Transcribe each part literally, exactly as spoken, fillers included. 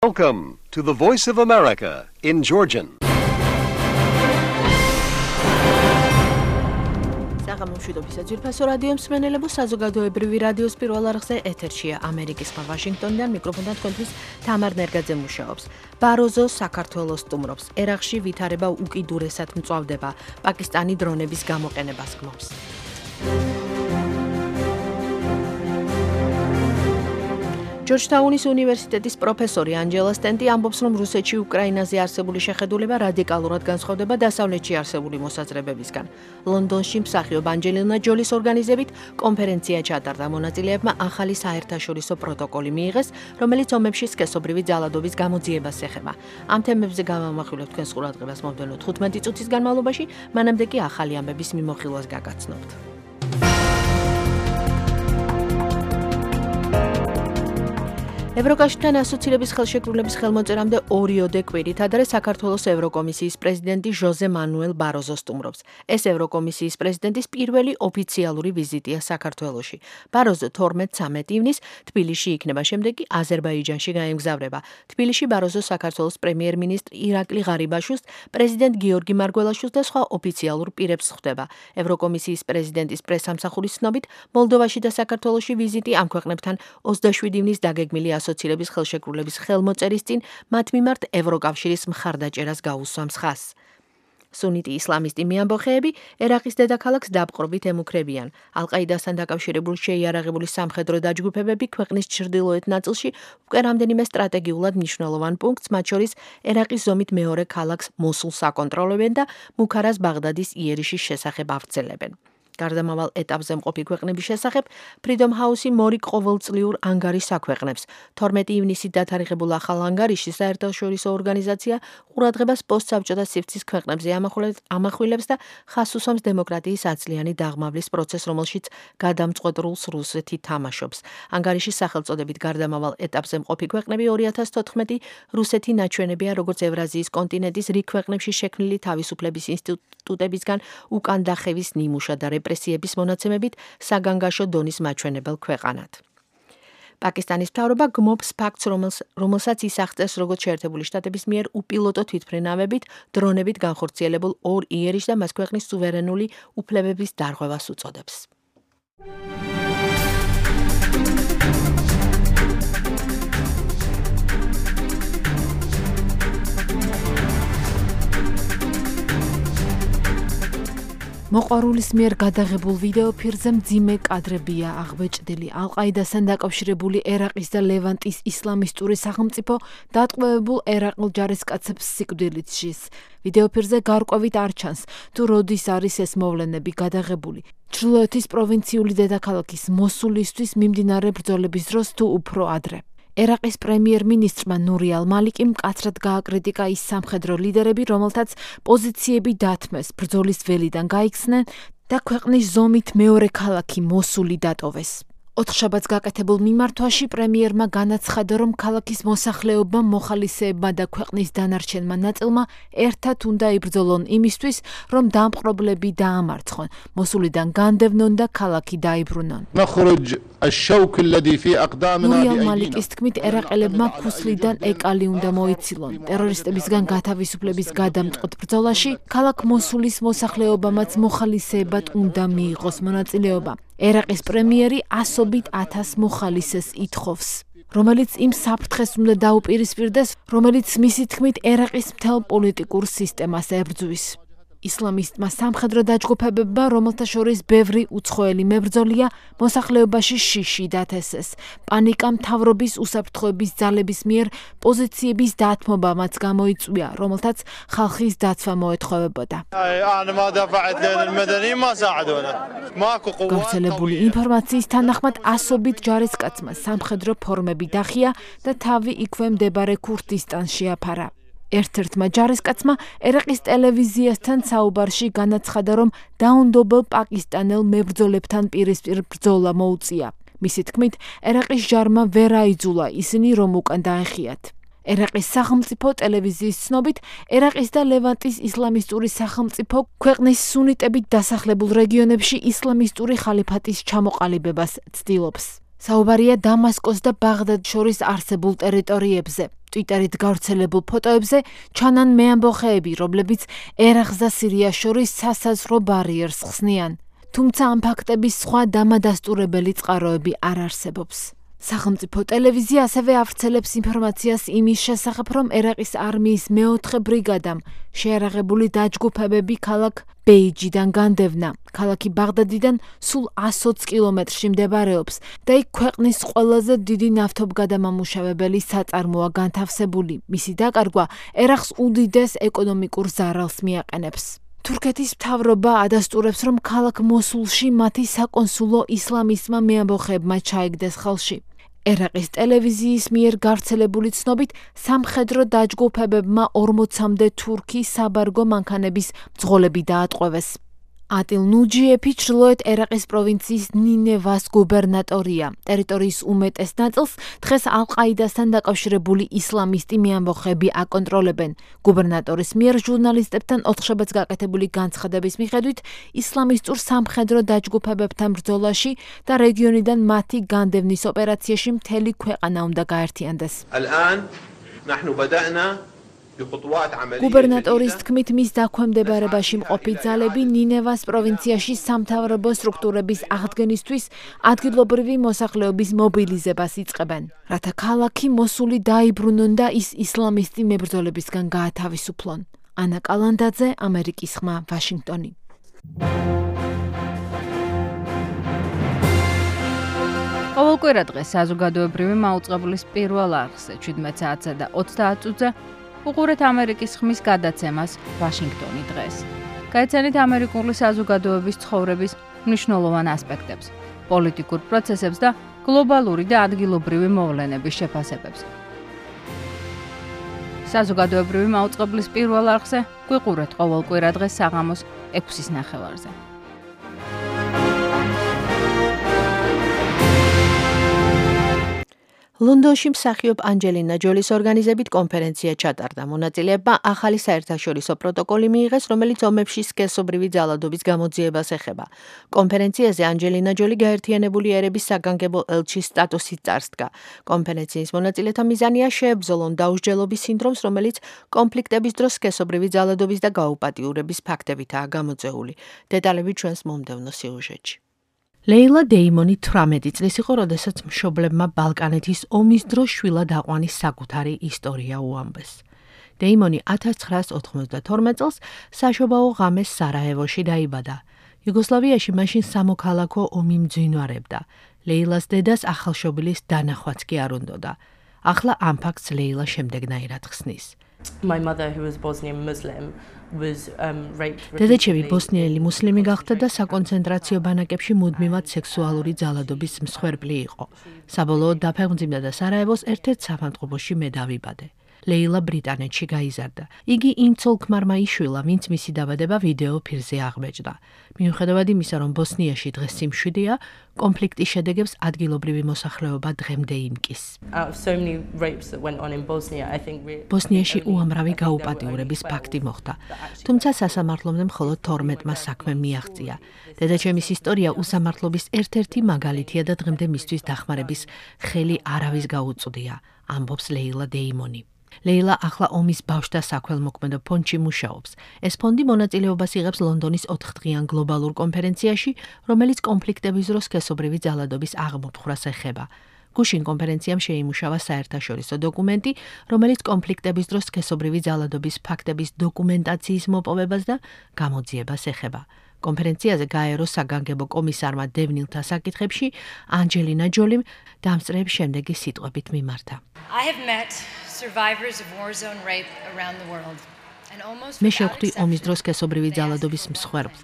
Welcome to the Voice of America in Georgian. საღამომშვიდობის საძირფასო რადიო მსმენელებო, საზოგადოებრივი რადიოს პირველ არხზე ეთერშია ამერიკის ხმა ვაშინგტონიდან, მიკროფონთან თქვენთვის თამარ ნერგაძე მუშაობს. ბაროზო საქართველოს სტუმრობს. ერაყში ვითარება უკიდურესად მწვავდება. პაკისტანი დრონების გამოყენებას გმობს. ჯორჯთაუნის უნივერსიტეტის პროფესორი ანჯელა სტენტი ამბობს, რომ რუსეთში უკრაინაზე არსებული შეხედულება რადიკალურად განსხვავდება დასავლეთში არსებული მოსაზრებებისგან. ლონდონში მსახიობ ანჯელინა ჯოლის ორგანიზებით კონფერენცია ჩატარდა. მონაწილეებმა ახალი საერთაშორისო პროტოკოლი მიიღეს, რომელიც ომებში სქესობრივი ძალადობის გამოძიებას ეხება. ამ თემებზე გავამახვილებთ თქვენს ყურადღებას მომდევნო თხუთმეტი წუთის განმავლობაში, მანამდე კი ახალი ამბების მიმოხილვას გაგაცნობთ. ევროკავშირთან ასოცირების ხელშეკრულების ხელმოწერამდე ორიოდე კვირით ადრე საქართველოს ევროკომისიის პრეზიდენტი ჟოზე მანუელ ბაროზო სტუმრობს. ეს ევროკომისიის პრეზიდენტის პირველი ოფიციალური ვიზიტია საქართველოში. ბაროზო თორმეტ-ცამეტ ივნისს თბილისში იქნება, შემდეგ კი აზერბაიჯანში გაემგზავრება. თბილისში ბაროზო საქართველოს პრემიერ-მინისტრ ირაკლი ღარიბაშვილს, პრეზიდენტ გიორგი მარგველაშვილს და სხვა ოფიციალურ პირებს ხვდება. ევროკომისიის პრეზიდენტის პრესამსახურის ცნობით, მოლდოვაში და საქართველოში ვიზიტი ამ ქვეყნებთან ოცდაშვიდი ივნისს დაგეგმილი ასოცირების ხელშეკრულების ხელმოწერის წინ მათ მიმართ ევროკავშირის მხარდაჭერას გაუსვამს ხაზს. სუნიტი ისლამისტი მიამბოხეები ერაყის დედაქალაქს დაპყრობით ემუქრებიან. ალ-ყაიდასთან დაკავშირებული შეიარაღებული სამხედრო დაჯგუფებები ქვეყნის ჩრდილოეთ ნაწილში უკვე რამდენიმე სტრატეგიულად მნიშვნელოვან პუნქტს, მათ შორის ერაყის ზომით მეორე ქალაქს მოსულს აკონტროლებენ და მუქარას ბაღდადის იერიშის შესახებ ავრცელებენ. გარდამავალ ეტაპზე მყოფი ქვეყნების შესახებ Freedom House-ი მორიგ ყოველწლიურ ანგარიშს აქვეყნებს. თორმეტი ივნისით დათარიღებულ ახალ ანგარიშში საერთაშორისო ორგანიზაცია ყურადღებას პოსტსაბჭოთა სივრცის ქვეყნებზე ამახვილებს და ხაზს უსვამს დემოკრატიის აცლიანი დაღმავლის პროცესს, რომელშიც გადამწყვეტ როლს რუსეთი თამაშობს. ანგარიშის სახელწოდებით გარდამავალ ეტაპზე მყოფი ქვეყნები ორი ათას თოთხმეტი რუსეთი ნაჩვენებია, როგორც ევრაზიის კონტინენტის რიგ ქვეყნებში შექმნილი თავისუფლების ინსტიტუტებისგან უკან დახევის ნიმუშად და რეპრესიების მონაცემებით საგანგაშო დონის მაჩვენებელ ქვეყანად. პაკისტანის მთავრობა გმობს ფაქტს, რომელსაც ის აღწერს როგორც შეერთებული შტატების მიერ უპილოტო თვითმფრინავებით, დრონებით განხორციელებულ ორ იერიშს და მას ქვეყნის სუვერენული უფლებების დარღვევას უწოდებს. მოყვარულის მიერ გადაღებულ ვიდეო ფირზე მძიმე კადრებია აღბეჭდილი. ალ-ყაიდასთან დაკავშირებული ერაყის და ლევანტის ისლამისტური სახელმწიფო დატყვევებულ ერაყელ ჯარისკაცებს სიკვდილით სჯის. ვიდეო ფირზე გარკვევით არ ჩანს, თუ როდის არის ეს მოვლენები გადაღებული. ჩრდილოეთის პროვინციული დედაქალაქის მოსულისთვის მიმდინარე ბრძოლების დროს თუ უფრო ადრე. ერაყის პრემიერ-მინისტრმა ნური ალ-მალიკი მკაცრად გააკრიტიკა ის სამხედრო ლიდერები, რომელთაც პოზიციები დათმეს, ბრძოლის ველიდან გაიქცნენ და ქვეყნის ზომით მეორე ქალაქი მოსული დატოვეს. ოთხშაბათს გაკეთებულ მიმართვაში პრემიერმა განაცხადა, რომ ქალაქის მოსახლეობამ, მოხალისეებმა და ქვეყნის დანარჩენმა ნაწილმა ერთად უნდა იბრძოლონ იმისთვის, რომ დამპყრობლები დაამარცხონ, მოსულიდან განდევნონ და ქალაქი დაიბრუნონ. ნური ალ-მალიკის თქმით, ერაყელებმა ქუსლიდან ეკალი უნდა მოიცილონ. ტერორისტებისგან გათავისუფლების გადამწყვეტ ბრძოლაში ქალაქ მოსულის მოსახლეობამაც მოხალისეებად უნდა მიიღოს მონაწილეობა. ერაყის პრემიერი ასობით ათას მოხალისეს ითხოვს, რომელიც იმ საფრთხეს უნდა დაუპირისპირდეს, რომელიც მისი თქმით ერაყის მთელ პოლიტიკურ სისტემას ებრძვის. ისლამისტმა სამხედრო დაჯგუფებებმა, რომელთა შორის ბევრი უცხოელი მებრძოლია, მოსახლეობაში შიში დათესეს. პანიკა მთავრობის უსაფრთხოების ძალების მიერ პოზიციების დათმობამაც გამოიწვია, რომელთაც ხალხის დაცვა მოეთხოვებოდა. გავრცელებული ინფორმაციის თანახმად ასობით ჯარისკაცმა სამხედრო ფორმები დახია და თავი იქვე მდებარე ქურთისტანში აფარა. ერთ-ერთმა ჯარისკაცმა ერაყის ტელევიზიასთან საუბარში განაცხადა, რომ დაუნდობელ პაკისტანელ მებრძოლებთან პირისპირ ბრძოლა მოუწია. მისი თქმით, ერაყის ჯარმა ვერ აიძულა ისინი, რომ უკან დაეხიათ. ერაყის სახელმწიფო ტელევიზიის ცნობით, ერაყის და ლევანტის ისლამისტური სახელმწიფო ქვეყნის სუნიტებით დასახლებულ რეგიონებში ისლამისტური ხალიფატის ჩამოყალიბებას ცდილობს. საუბარია დამასკოს და ბაღდად შორის არსებულ ტერიტორიებზე. Twitterით გავრცელებულ ფოტოებზე ჩანან მეამბოხეები, რომლებიც ერაყს და სირიას შორის სასაზღვრო ბარიერს ხსნიან. თუმცა ამ ფაქტების სხვა დამადასტურებელი წყაროები არ არსებობს. სახელმწიფო ტელევიზია ასევე ავრცელებს ინფორმაციას იმის შესახებ, რომ ერაყის არმიის მეოთხე ბრიგადამ შეიარაღებული დაჯგუფებები ქალაქ ბეიჯიდან განდევნა. ქალაქი ბაღდადიდან სულ ათი კილომეტრში მდებარეობს და იქ ქვეყნის ყველაზე დიდი ნავთობგადამამუშავებელი საწარმოა განთავსებული. მისი დაკარგვა ერაყს უდიდეს ეკონომიკურ ზარალს მიაყენებს. თურქეთის მთავრობა ადასტურებს, რომ ქალაქ მოსულში მათი საკონსულო ისლამისტმა მეამბოხეებმა ჩაიგდეს ხელში. ერაყის ტელევიზიის მიერ გავრცელებული ცნობით სამხედრო დაჯგუფებებმა ორმოცამდე თურქი საბარგო მანქანების მძღოლები დაატყვევეს. Atil Nujiyepi ჩრდილოეთ ერაყის პროვინციის ნინევას გუბერნატორია. ტერიტორიის უმეტეს ნაწილს დღეს ალ-ყაიდასთან დაკავშირებული ისლამისტი მეამბოხეები აკონტროლებენ. გუბერნატორის მიერ ჟურნალისტებთან ოთხშაბათს გაკეთებული განცხადების მიხედვით ისლამისტურ სამხედრო დაჯგუფებებთან ბრძოლაში და რეგიონიდან მათი განდევნის ოპერაციაში მთელი ქვეყანა უნდა გაერთიანდეს. გუბერნატორის თქმით, მის დაქვემდებარებაში მყოფი ძალები ნინევას პროვინციაში სამთავრობო სტრუქტურების აღდგენისთვის ადგილობრივი მოსახლეობის მობილიზებას იწყებენ, რათა ქალაქი მოსული დაიბრუნონ და ის ისლამისტი მებრძოლებისგან გაათავისუფლონ. ანა კალანდაძე, ამერიკის ხმა, ვაშინგტონი. ყოველკვირა დღეს საზოგადოებრივი მაუწყებლის პირველ არხზე შვიდმეტ საათსა და ოცდაათ წუთზე უყურეთ ამერიკის ხმის გადაცემას ვაშინგტონი დღეს. გაიცანით ამერიკული საზოგადოების ცხოვრების მნიშვნელოვან ასპექტებს, პოლიტიკურ პროცესებს და გლობალური და ადგილობრივი მოვლენების შეფასებებს. საზოგადოებრივი მაუწყებლის პირველ არხზე გვიყურეთ ყოველკვირა დღეს საღამოს ექვსის ნახევარზე. ლონდონში მსახიობ ანჯელინა ჯოლის ორგანიზებით კონფერენცია ჩატარდა. მონაწილეებმა ახალი საერთაშორისო პროტოკოლი მიიღეს, რომელიც ომებში სქესობრივი ძალადობის გამოძიებას ეხება. კონფერენციაზე ანჯელინა ჯოლი გაერთიანებული ერების საგანგებო ელჩის სტატუსით წარსდგა. კონფერენციის მონაწილეთა მიზანია შეებრძოლონ დაუსჯელობის სინდრომს, რომელიც კონფლიქტების დროს სქესობრივი ძალადობის და გაუპატიურების ფაქტებითაა გამოწვეული. დეტალები ჩვენს მომდევნო სიუჟეტში. ლეილა დეიმონი თვრამეტი წლის იყო, როდესაც მშობლებმა ბალკანეთის ომის დროს შვილად აყვანის საკუთარი ისტორია უამბეს. დეიმონი ათას ცხრაას ოთხმოცდათორმეტ წელს საშობაო ღამეს სარაევოში დაიბადა. იუგოსლავიაში მაშინ სამოქალაქო ომი მძვინვარებდა. ლეილას დედას ახალშობილის დანახვაც კი არ უნდოდა. ახლა ამ ფაქტს ლეილა შემდეგნაირად ხსნის. My mother, who was Bosnian Muslim, was um, raped. დედაჩემი ბოსნიელი მუსლიმი გახდა და საკონცენტრაციო ბანაკებში მუდმივად სექსუალური ძალადობის მსხვერპლი იყო. საბოლოოდ დაფეხმძიმდა და სარაევოს ერთ-ერთ საფანტყოფოში მე დავიბადე. ლეილა ბრიტანეთში გაიზარდა. იგი იმ ცოლ-ქმარმა იშვილა, ვინც მისი დაბადება ვიდეო ფირზე აღბეჭდა. მიუხედავად იმისა, რომ ბოსნიაში დღეს სიმშვიდეა, კონფლიქტის შედეგებს ადგილობრივი მოსახლეობა დღემდე იმკის. ბოსნიაში უამრავი გაუპატიურების ფაქტი მოხდა, თუმცა სასამართლომდე მხოლოდ თორმეტმა საქმემ მიაღწია. დედაჩემის ისტორია უსამართლობის ერთ-ერთი მაგალითია და დღემდე მისთვის დახმარების ხელი არავის გაუწვდია, ამბობს ლეილა დეიმონი. ლეილა ახლა ომის ბავშვთა საქველმოქმედო ფონდში მუშაობს. ეს ფონდი მონაწილეობას იღებს ლონდონის ოთხდღიან გლობალურ კონფერენციაში, რომელიც კონფლიქტების დროს სქესობრივი ძალადობის აღმოფხვრას ეხება. გუშინ კონფერენციამ შეიმუშავა საერთაშორისო დოკუმენტი, რომელიც კონფლიქტების დროს სქესობრივი ძალადობის ფაქტების დოკუმენტაციის მოპოვებას და გამოძიებას ეხება. კონფერენციაზე გაერო საგანგებო კომისარმა დევნილთა საკითხებში ანჯელინა ჯოლიმ დამსწრეებს შემდეგი სიტყვებით მიმართა. მე შევხვდი ომის დროს სქესობრივი ძალადობის მსხვერპლს.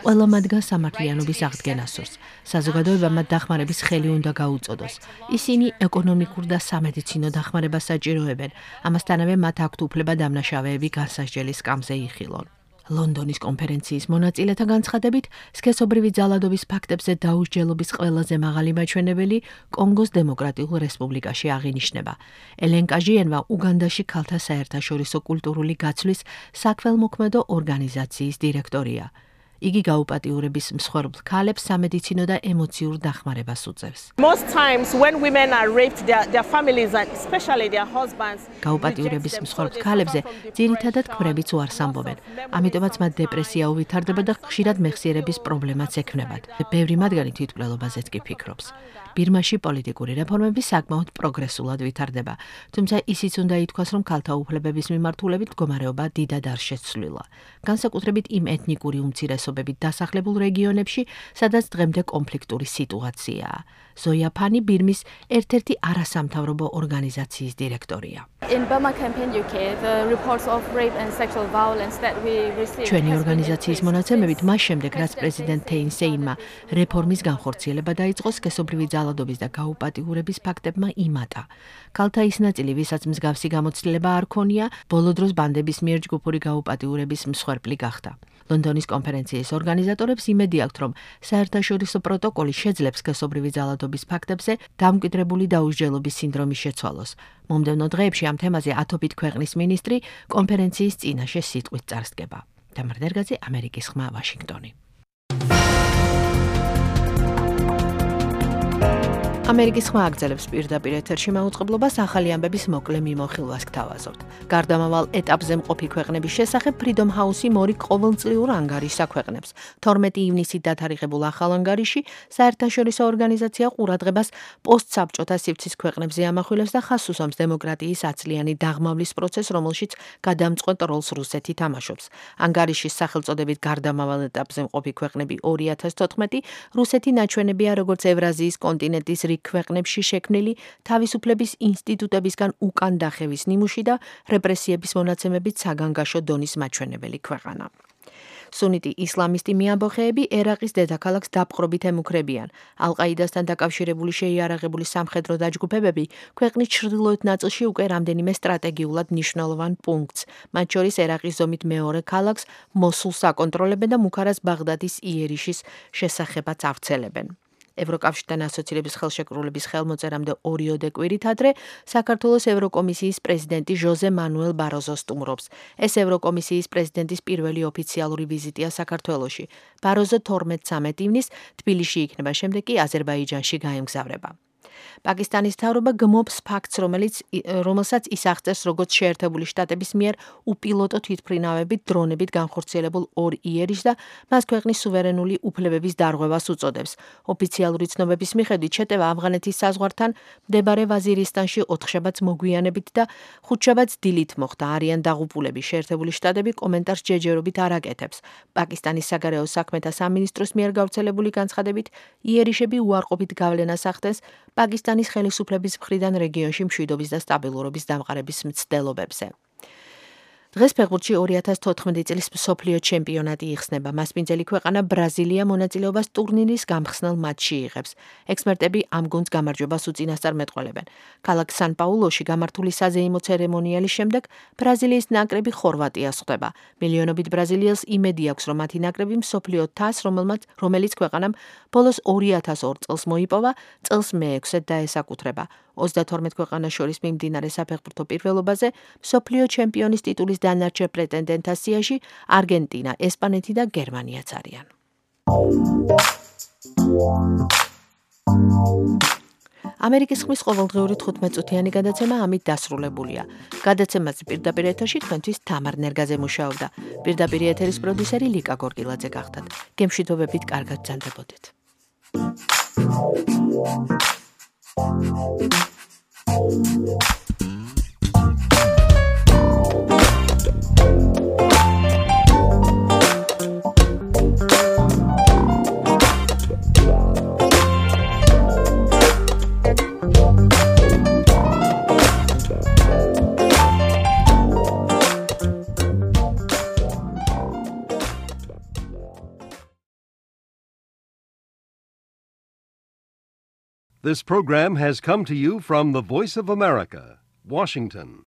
ყველა მათგან სამართლიანობის აღდგენას სურს. საზოგადოებამ მათ დახმარების ხელი უნდა გაუწოდოს. ისინი ეკონომიკურ და სამედიცინო დახმარებას საჭიროებენ. ამასთანავე მათ აქვთ უფლება დამნაშავეები განსასჯელი სკამზე იხილონ. ლონდონის კონფერენციის მონაწილეთა განცხადებით, სქესობრივი ძალადობის ფაქტებზე დაუსჯელობის ყველაზე მაღალი მაჩვენებელი კონგოს დემოკრატიულ რესპუბლიკაში აღინიშნება. ელენ კაჟიენვა უგანდაში ქალთა საერთაშორისო კულტურული გაცვლის საქველმოქმედო ორგანიზაციის დირექტორია. იგი გაუპატიურების მსხვერპლ ქალებს სამედიცინო და ემოციურ დახმარებას უწევს. Most times when women are raped, their, their families and especially their husbands გაუპატიურების მსხვერპლ ქალებზე ძირითადად ქმრებიც უარს ამბობენ. ამიტომაც მათ დეპრესია უვითარდება და ხშირად მეხსიერების პრობლემაც ექმნებათ. ბევრი მათგანი თვითმკვლელობაზეც კი ფიქრობს. ბირმაში პოლიტიკური რეფორმები საკმაოდ პროგრესულად ვითარდება, თუმცა ისიც უნდა ითქვას, რომ ქალთა უფლებების მიმართულებით მდგომარეობა დიდად არ შეცვლილა. განსაკუთრებით იმ ეთნიკური უმცირესობებით დასახლებულ რეგიონებში, სადაც დღემდე კონფლიქტური სიტუაციაა. ზოია ფანი ბირმის ერთ-ერთი არასამთავრობო ორგანიზაციის დირექტორია. In Burma Campaign U K, the reports of rape and sexual violence that we received. ჩვენი ორგანიზაციის მონაცემებით, მას შემდეგ, რაც პრეზიდენტ თეინ სეინმა რეფორმის განხორციელება დაიწყო, სქესობრივი ძალადობის და გაუპატიურების ფაქტებმა იმატა. ქალთა ის ნაწილი, ვისაც მსგავსი გამოცდილება არ ქონია, ბოლო დროს ბანდების მიერ ჯგუფური გაუპატიურების მსხვერპლი გახდა. ლონდონის კონფერენციის ორგანიზატორებს იმედი აქვთ, რომ საერთაშორისო პროტოკოლი შეძლებს სქესობრივი ძალადობის ფაქტებზე დამკვიდრებული დაუსჯელობის სინდრომის შეცვალოს. მომდევნო დღეებში ამ თემაზე ათობით ქვეყნის მინისტრი კონფერენციის წინაშე სიტყვით წარსდგება. თამარ დერგაძე, ამერიკის ხმა, ვაშინგტონი. ამერიკის ხმა აგრძელებს პირდაპირ ეთერში მაუწყებლობას ახალი ამბების მოკლე მიმოხილვას გთავაზობთ. გარდამავალ ეტაპზე მყოფი ქვეყნების შესახებ Freedom House-ი მორიგ ყოველწლიურ ანგარიშს აქვეყნებს. თორმეტი ივნისით დათარიღებულ ახალ ანგარიში საერთაშორისო ორგანიზაცია ყურადღებას პოსტსაბჭოთა სივრცის ქვეყნებზე ამახვილებს და ხაზს უსვამს დემოკრატიის აცლიანი დაღმავლის პროცესს, რომელშიც გადამწყვეტ როლს რუსეთი თამაშობს. ანგარიშის სახელწოდებით გარდამავალ ეტაპზე მყოფი ქვეყნები ორი ათას თოთხმეტი რუსეთი ნაჩვენებია როგორც ევრაზიის კონტინენტის ქვეყნებში შექმნილი თავისუფლების ინსტიტუტებისგან უკან დახევის ნიმუში და რეპრესიების მონაცემებით საგანგაშო დონის მაჩვენებელი ქვეყანა. სუნიტი ისლამისტი მეამბოხეები ერაყის დედაქალაქს დაპყრობით ემუქრებიან. ალ-ყაიდასთან დაკავშირებული შეიარაღებული სამხედრო დაჯგუფებები ქვეყნის ჩრდილოეთ ნაწილში უკვე რამდენიმე სტრატეგიულად მნიშვნელოვან პუნქტს, მათ შორის ერაყის ზომით მეორე ქალაქს მოსულს აკონტროლებენ და მუქარას ბაღდადის იერიშის შესახებაც ავრცელებენ. ევროკავშირთან ასოცირების ხელშეკრულების ხელმოწერამდე ორიოდე კვირით ადრე საქართველოს ევროკომისიის პრეზიდენტი ჟოზე მანუელ ბაროზო სტუმრობს. ეს ევროკომისიის პრეზიდენტის პირველი ოფიციალური ვიზიტია საქართველოში. ბაროზო თორმეტ-ცამეტ ივნისს თბილისში იქნება, შემდეგ კი აზერბაიჯანში გაემგზავრება. პაკისტანის მთავრობა გმობს ფაქტს, რომელიც რომელსაც ის აღწერს როგორც შეერთებული შტატების მიერ უპილოტო თვითმფრინავებით დრონებით განხორციელებულ ორ იერიშს და მას ქვეყნის სუვერენული უფლებების დარღვევას უწოდებს. ოფიციალური ცნობების მიხედვით შეტევა ავღანეთის საზღვართან მდებარე ვაზირისტანში ოთხშაბათს მოგვიანებით და ხუთშაბათს დილით მოხდა. არიან დაღუპულები. შეერთებული შტატები კომენტარს ჯერჯერობით არ აკეთებს. პაკისტანის საგარეო საქმეთა სამინისტროს მიერ გავრცელებული განცხადებით იერიშები უარყოფით გავლენას ახდენს პაკისტანის ხელისუფლების მხრიდან რეგიონში მშვიდობის და სტაბილურობის დამყარების მცდელობებზე. დღეს ფეხბურთში ორი ათას თოთხმეტი წლის მსოფლიო ჩემპიონატი იხსნება. მასპინძელი ქვეყანა ბრაზილია მონაწილეობას ტურნირის გამხსნელ მატჩში იღებს. ექსპერტები ამ გუნდს გამარჯვებას უწინასწარ მეტყველებენ. ქალაქ სან-პაულოში გამართული საზეიმო ცერემონიალის შემდეგ ბრაზილიის ნაკრები ხორვატიას ხვდება. მილიონობით ბრაზილიელს იმედი აქვს, რომ მათი ნაკრები მსოფლიო თასს, რომელიც ქვეყანამ ბოლოს ორი ათას ორ წელს მოიპოვა, წელს მეექვსედ დაესაკუთრება. ოცდათორმეტ ქვეყანას შორის მიმდინარე საფეხბურთო პირველობაზე მსოფლიო ჩემპიონის ტიტულის დანარჩენ პრეტენდენტთა სიაში არგენტინა, ესპანეთი და გერმანიაც არიან. ამერიკის ხმის ყოველდღიური თხუთმეტ-წუთიანი გადაცემა ამით დასრულებულია. გადაცემაზე პირდაპირ ეთერში თქვენთვის თამარ ნერგაძე მუშაობდა. პირდაპირ ეთერის პროდიუსერი ლიკა გორგილაძე გახდათ. გემშვიდობებით, კარგად ბრძანდებოდეთ. This program has come to you from the Voice of America, Washington.